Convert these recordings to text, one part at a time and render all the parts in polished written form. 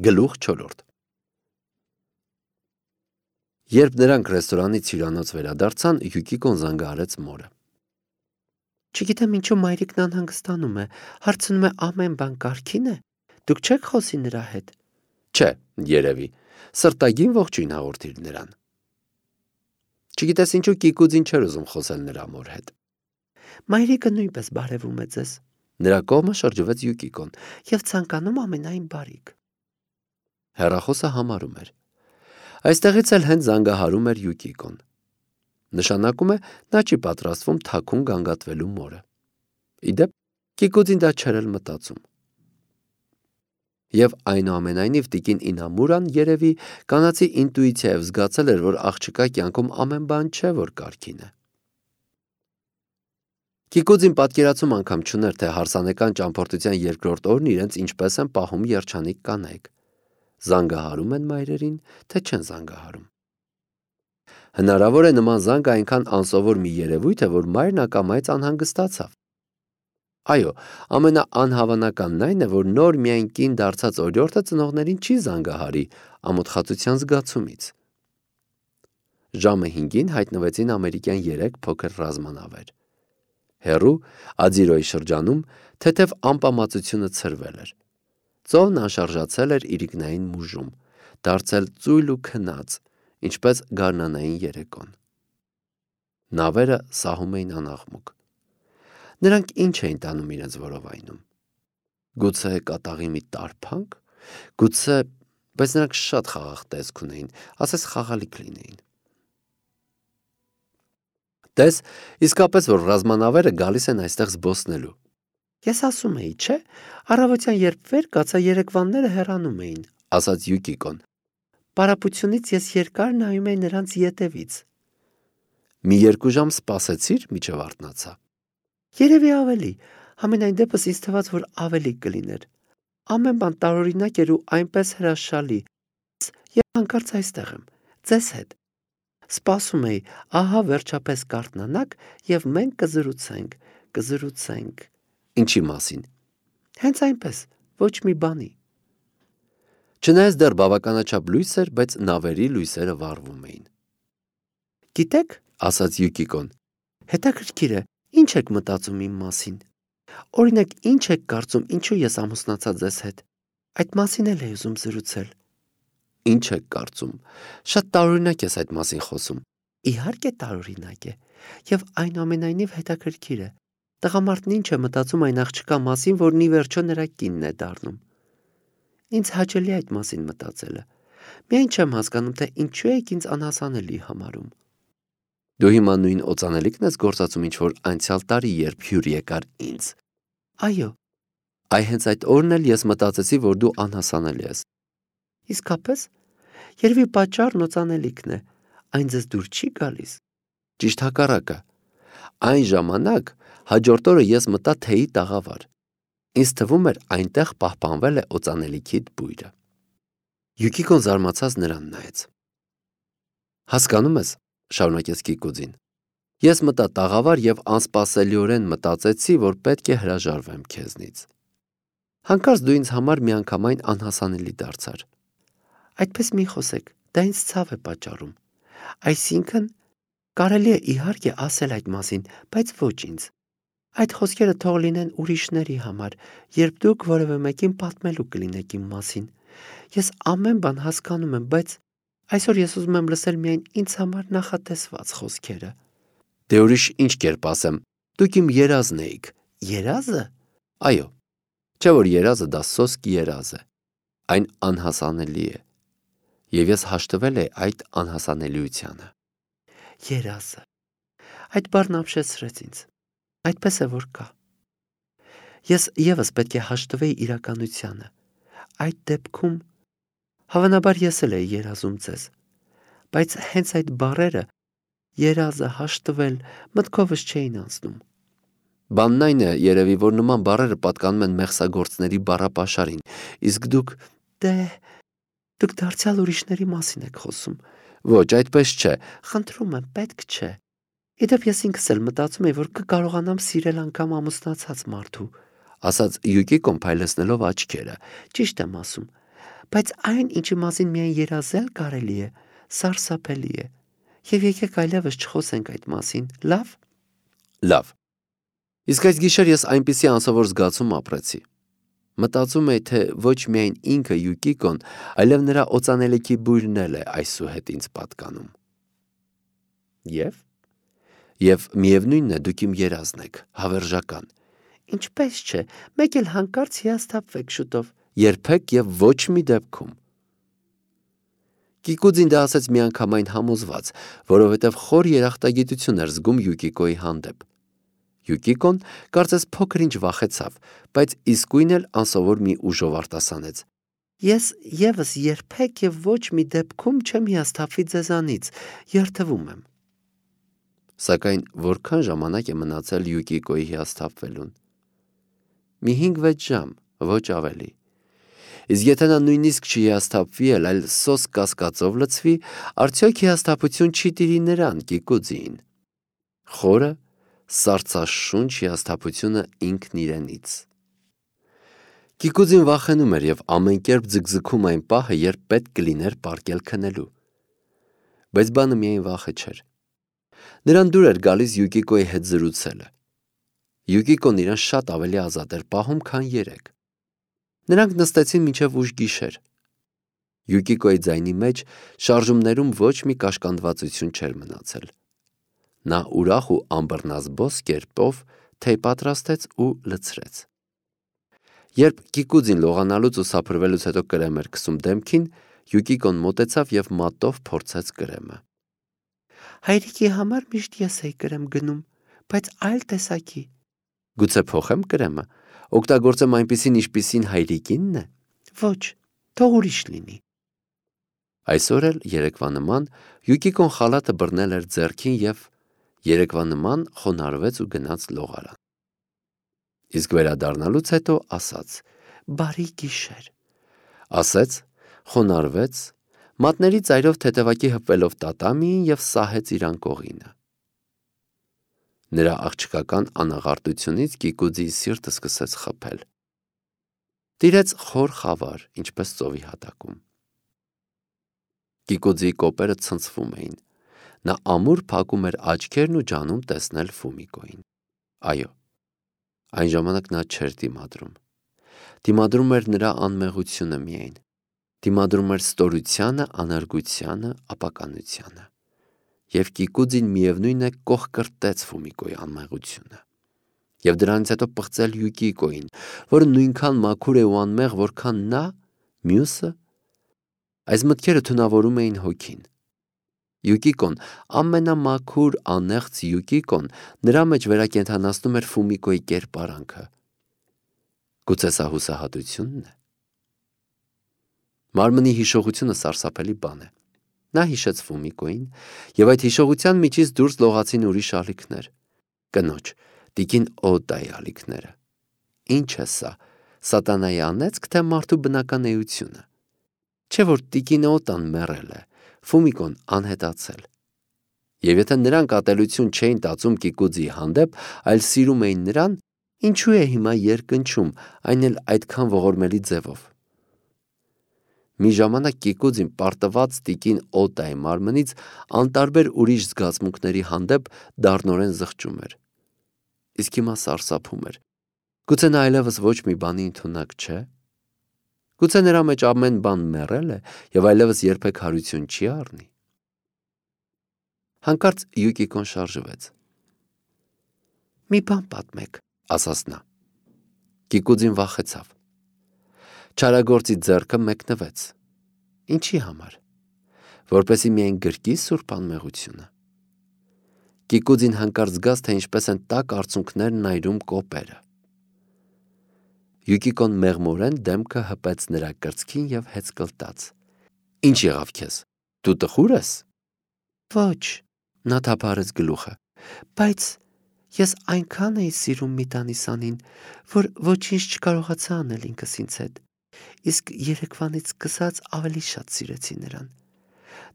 Գլուխ 4 Երբ նրանք ռեստորանից հյուրանոց վերադարձան, Յուկիկոն զանգահարեց մորը։ Չգիտեմ ինչու մայրիկն անհանգստանում է, հարցնում է ամեն բան կարգին է։ Դուք չեք խոսի նրա հետ։ Չէ, երևի, սրտագին ողջույն հաղորդիր նրան։ Չգիտես ինչու Կիկուձին չէր ուզում խոսել նրա մոր հետ։ Մայրիկը նույնպես բարևում է ձեզ։ Նրա կողմը շրջվեց Յուկիկոն Եվ ցանկանում ամենայն բարիք։ Հեռախոսը համարում էր։ Այստեղից էլ հենց զանգահարում էր Յուկիկոն։ Նշանակում է նա չի պատրաստվում թաքուն գանգատվելու մորը։ Իդեպ Կիկուձին դա չէր էլ մտածում։ Եվ այնուամենայնիվ տիկին Ինամուրան երևի կանացի ինտուիցիայով զգացել էր, որ աղջկա կյանքում ամեն բան չէ, որ կարգին է։ Կիկուձին պատկերացում անգամ չուներ, թե հարսանեկան ճամփորդության երկրորդ օրն իրենց ինչպես են պահում երջանիկ կանայք։ Զանգահարում են մայրերին, թե չեն զանգահարում։ Հնարավոր է նման զանգը այնքան անսովոր մի երևույթ է, որ մայրն ակամայից անհանգստացավ։ Այո, ամենաանհավանականն այն է, որ նոր միայն կին դարձած օրիորդը ծնողներին չի զանգահարի ամոթխածության զգացումից։ Ժամը 5-ին հայտնվեցին ամերիկյան 3 փոքր ռազմանավեր։ Հեռու Ադիրոյի շրջանում թեթև ամպամածությունը ցրվել էր։ Ծովն անշարժացել էր իրիկնային մուժում, դարձել ծույլ ու քնած, ինչպես գարնանային երեկոն։ Նավերը սահում էին անաղմուկ։ Նրանք ինչ էին տանում իրենց որովայնում։ Գուցե կատաղի մի տարփանք, գուցե, բայց նրանք շատ խաղաղ տեսք ունեին, ասես խաղալիք լինեին։ Տես, իսկապես որ ռազմանավերը գալիս են այստեղ զբոսնելու։ Ես ասում էի, չէ, առավոտյան երբ վեր կացա երեկվանները հեռանում էին, ասաց Յուկիկոն։ Պարապությունից ես երկար նայում էի նրանց ետևից։ Մի 2 ժամ սպասեցիր, միջև արթնացա։ Երևի ավելի, համենայն դեպս ինձ թվաց, որ ավելի կլիներ։ Ամեն բան տարօրինակ էր ու այնպես հրաշալի։ Եվ հանկարծ այստեղ եմ, ձեզ հետ։ Սպասում էի, ահա վերջապես կարթնանաք եւ մենք կզրուցենք։ Ինչի մասին։ Հենց այնպես, ոչ մի բանի։ Չնայած դեռ բավականաչափ լույս էր, բայց նավերի լույսերը վառվում էին։ Գիտեք, ասաց Յուկիկոն, հետաքրքիր է, ինչ եք մտածում իմ մասին։ Օրինակ, ինչ եք կարծում, ինչու ես ամուսնացա ձեզ հետ։ Այդ մասին էլ էի ուզում զրուցել։ Ինչ եք կարծում։ Շատ տարօրինակ ես այդ մասին խոսում։ Իհարկե տարօրինակ է, եւ այնուամենայնիվ հետաքրքիր է։ Տղամարդն ինչ է մտածում այն աղջկա մասին, որն ի վերջո նրա կինն է դառնում։ Ինձ հաճելի այդ մասին մտածելը։ Միայն չեմ հասկանում, թե ինչու եք ինձ անհասանելի համարում։ Դու հիմա նույն օծանելիքն ես գործածում ինչ-որ անցյալ տարի, երբ հյուր եկար ինձ։ Այո։ Այ հենց այդ օրն էլ ես մտածեցի, որ դու անհասանելի ես։ Իսկապես, երևի պատճառն օծանելիքն է, այն ձեզ դուր չի գալիս։ Ճիշտ հակառակը։ Այն ժամանակ հաջորդ օրը ես մտա թեյի տաղավար։ Ինձ թվում էր այնտեղ պահպանվել է օծանելիքիդ բույրը։ Յուկիկոն զարմացած նրան նայեց։ Հասկանում ես, շարունակեց Կիկուձին։ Ես մտա տաղավար եւ անսպասելիորեն մտածեցի, որ պետք է հրաժարվեմ քեզնից։ Հանկարծ դու ինձ համար միանգամայն անհասանելի դարձար։ Այդպես մի խոսեք, դա ինձ ցավ է պատճառում։ Այսինքն, կարելի է իհարկե ասել այդ մասին, բայց ոչ ինձ։ Այդ խոսքերը թող լինեն ուրիշների համար, երբ դուք որևէ մեկին պատմելու կլինեք իմ մասին։ Ես ամեն բան հասկանում եմ, բայց այսօր ես ուզում եմ լսել միայն ինձ համար նախատեսված խոսքերը։ Դե ուրիշ ինչ կերպ ասեմ, դուք իմ երազն էիք։ Երազը։ Այո։ Չէ որ երազը դա սոսկ երազ է։ Այն անհասանելի է։ Եվ ես հաշտվել եմ այդ անհասանելիությանը։ Երազը։ Այդ բառն ապշեցրեց ինձ։ Այդպես է որ կա։ Ես եւս պետք է հաշտվեի իրականությանը։ Այդ դեպքում հավանաբար ես էլ էի երազում ձեզ։ Բայց հենց այդ բառերը երազը հաշտվել մտքովս չէին անցնում։ Բանն այն է, երևի, որ նման բառերը պատկանում են մեղսագործների բառապաշարին, իսկ դուք դուք դարձյալ ուրիշների մասին եք խոսում։ Ոչ, այդպես չէ։ Խնդրում եմ, պետք չէ։ Իդեպ ես ինքս էլ մտածում եի, որ կկարողանամ սիրել անգամ ամուսնացած մարդու, ասաց Յուկիկոն փայլեցնելով աչքերը։ Ճիշտ եմ ասում, բայց այն, ինչի մասին միայն երազել կարելի է, սարսափելի է։ Եվ եկեք այլևս չխոսենք այդ մասին, լավ։ Լավ։ Իսկ այս գիշեր ես այնպիսի անսովոր զգացում ապրեցի։ Մտածում էի, թե ոչ միայն ինքը Յուկիկոն, այլև նրա օծանելիքի բույրն էլ է այսուհետ ինձ պատկանում։ Եվ միևնույնն է, դուք իմ երազն եք, հավերժական։ Ինչպես չէ, մեկ էլ հանկարծ հիասթափվեք շուտով։ Երբեք եւ ոչ մի դեպքում։ Կիկուձին դա ասաց միանգամայն համոզված, որովհետև խոր երախտագիտություն էր զգում Յուկիկոյի հանդեպ։ Յուկիկոն կարծես փոքր-ինչ վախեցավ, բայց իսկույն էլ անսովոր մի ուժով արտասանեց. Ես եւս երբեք եւ ոչ մի դեպքում չեմ հիասթափվի ձեզանից, երթվում եմ։ Սակայն որքան ժամանակ է մնացել Յուկիկոյի հիասթափվելուն։ Մի 5-6 ժամ, ոչ ավելի։ Իսկ եթե նա նույնիսկ չհիասթափվի, այլ սոս կասկածով լցվի, արդյոք հիասթափություն չի տիրի նրան, Կիկուձին։ Խորը, սարսաշունչ հիասթափությունը ինքն իրենից։ Կիկուձին վախենում էր եւ ամեն կերպ ձգձգում այն պահը, երբ պետք կլիներ պառկել քնելու։ Բայց բանը միայն վախը չէր։ Նրան դուր էր գալիս Յուկիկոյի հետ զրուցելը։ Յուկիկոն իրան շատ ավելի ազատ էր պահում, քան երեկ։ Նրանք նստեցին մինչև ուշ գիշեր։ Յուկիկոյի ձայնի մեջ շարժումներում ոչ մի կաշկանդվածություն չէր մնացել։ Նա ուրախ ու անբռնազբոս կերպով թեյ պատրաստեց ու լցրեց։ Երբ Կիկուձին լողանալուց ու սափրվելուց հետո կրեմ էր քսում դեմքին, Յուկիկոն մոտեցավ եւ մատով փորձեց կրեմը։ Հայրիկի համար միշտ ես էի կրեմ գնում, բայց այլ տեսակի։ Գուցե փոխեմ կրեմը, օգտագործեմ այնպիսին, ինչպիսին հայրիկինն է։ Ոչ, թող ուրիշ լինի։ Այսօր էլ երեկվա նման Յուկիկոն խալաթը բռնել էր ձեռքին եւ երեկվա նման խոնարհվեց ու գնաց լողարան։ Իսկ վերադառնալուց հետո ասաց. Բարի գիշեր։ Ասեց, խոնարհվեց, մատների ծայրով թեթևակի հպվելով տատամիին եւ սահեց իր անկողինը։ Նրա աղջկական անաղարտությունից Կիկուձի սիրտը սկսեց խփել։ Տիրեց խոր խավար, ինչպես ծովի հատակում։ Կիկուձի կոպերը ցնցվում էին։ Նա ամուր փակում էր աչքերն ու ջանում տեսնել Ֆումիկոյին։ Այո, այն ժամանակ նա չէր դիմադրում։ Դիմադրում էր նրա անմեղությունը միայն։ Դիմադրում էր ստորությանը, անարգությանը, ապականությանը։ Եվ Կիկուձին միևնույն է կողկրտեց Ֆումիկոյի անմեղությունը։ Եվ դրանից հետո պղծել Յուկիկոյին, որը նույնքան մաքուր է ու անմեղ, որքան նա, մյուսը։ Այս մտքերը թունավորում էին հոգին։ Յուկիկոն, ամենամաքուր անեղծ Յուկիկոն, նրա մեջ վերակենդանացնում էր Ֆումիկոյի կերպարանքը։ Գուցե սա հուսահատությունն է։ Մարմնի հիշողությունը սարսափելի բան է։ Նա հիշեց Ֆումիկոյին, եւ այդ հիշողության միջից դուրս լողացին ուրիշ ալիքներ։ Կնոջ, տիկին Օտայի ալիքները։ Ինչ է սա, սատանայի անեծք, թե մարդու բնական էությունը։ Չէ՞ որ տիկին Օտան մեռել է, Ֆումիկոն անհետացել։ Եվ եթե նրանք ատելություն չէին տածում Կիկուձի հանդեպ, այլ սիրում էին նրան, ինչու է հիմա երկնչում, այն էլ այդքան ողորմելի ձևով։ Մի ժամանակ Կիկուձին պարտված տիկին Օտայի մարմնից անտարբեր ուրիշ զգացմունքների հանդեպ դառնորեն զղջում էր։ Իսկ հիմա սարսափում էր։ Գուցե նա այլևս ոչ մի բանի ընդունակ չէ։ Գուցե նրա մեջ ամեն բան մեռել է եւ այլևս երբեք հարություն չի առնի։ Հանկարծ Յուկիկոն շարժվեց։ Մի բան պատմեք, ասաց նա։ Կիկուձին վախեցավ։ Չարագործի ձեռքը մեկնվեց։ Ինչի համար։ Որպեսզի միայն գրկի սուրբ անմեղությունը։ Կիկուձին հանկարծ զգաց, թե ինչպես են տաք արցունքներն այրում կոպերը։ Յուկիկոն մեղմորեն դեմքը հպեց նրա կրծքին եւ հեծկլտաց։ Ինչ եղավ քեզ։ Դու տխուր ես։ Ոչ, Նա թափարեց գլուխը։ բայց ես այնքան էի սիրում մի տանիսանին, որ ոչինչ չկարողացա անել ինքս ինձ հետ։ Իսկ երեկվանից սկսած ավելի շատ սիրեցի նրան։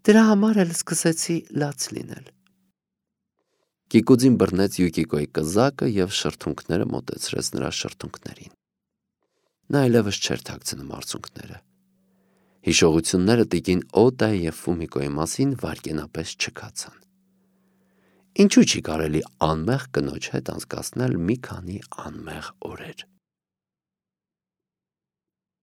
Դրա համար էլ սկսեցի լաց լինել։ Կիկուձին բռնեց Յուկիկոյի կզակը եւ շրթունքները մոտեցրեց նրա շրթունքներին։ Նա այլևս չէր թաքցնում արցունքները։ Հիշողությունները տիկին Օդայի և Ֆումիկոյի մասին վայրկենապես չքացան։ Ինչու չի կարելի անմեղ կնոջ հետ անցկացնել մի քանի անմեղ օրեր։